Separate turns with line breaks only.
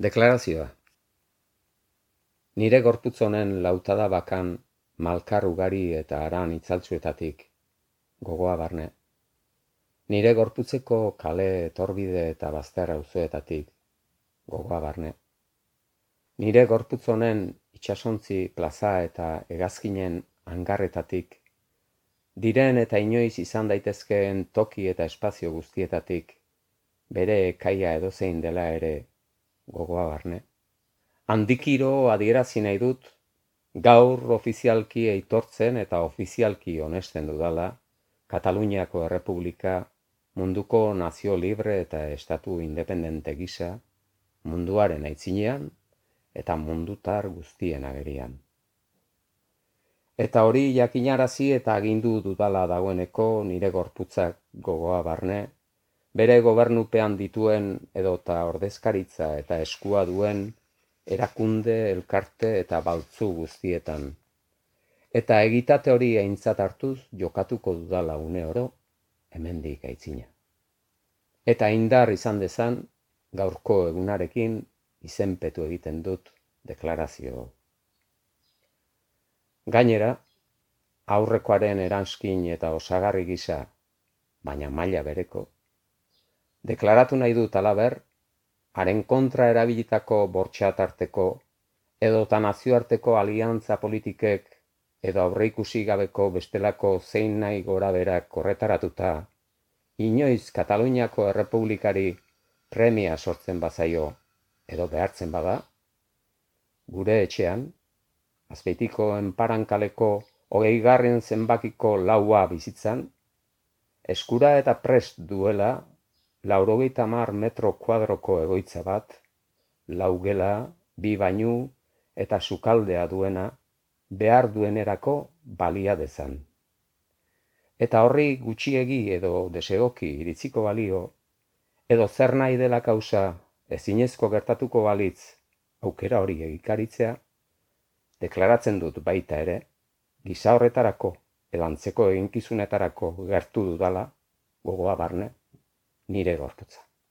Deklarazioa. Nire gorputz honen lautada bakan malkar ugari eta haran itzaltzuetatik gogoa barne. Nire gorputzeko kale etorbide eta bazter auzoetatik gogoa barne. Nire gorputz honen itsasontzi plaza eta hegazkinen hangarretatik, diren eta inoiz izan daitezkeen toki eta espazio guztietatik, bere ekaia edozein dela ere gogoa barne. Handikiro adierazi nahi dut, gaur ofizialki aitortzen eta ofizialki onesten dudala, Kataluniako Errepublika munduko nazio libre eta estatu independente gisa, munduaren aitzinean eta mundutar guztien agerian. Eta hori jakinarazi eta agindu dudala dagoeneko nire gorputzak gogoa barne, bere gobernupean dituen edota ordezkaritza eta eskua duen erakunde, elkarte eta baltzu guztietan. Eta egitate hori aintzat hartuz jokatuko dudala une oro, hemendik aitzina. Eta indar izan dezan, gaurko egunarekin izenpetu egiten dut deklarazio. Gainera, aurrekoaren eranskin eta osagarri gisa, baina maila bereko, deklaratu nahi dut halaber, haren kontra erabilitako bortxatarteko edota nazioarteko aliantza politikek edo aurreikusi gabeko bestelako zein nahi gora berak korretaratuta, inoiz Kataluniako Errepublikari premia sortzen bazaio edo behartzen bada, gure etxean, Azpeitiko Enparankaleko 20. zenbakiko laua bizitzan, eskura eta prest duela 90 metro kuadroko egoitza bat, 4 gela, 2 bainu eta sukaldea duena behar duenerako balia dezan. Eta horri gutxiegi edo desegoki iritziko balio, edo zer nahi dela kausa ezinezko gertatuko balitz aukera hori egikaritzea, deklaratzen dut baita ere, gisa horretarako edo antzeko eginkizunetarako gertu dudala, gogoa barne, nire gorputza.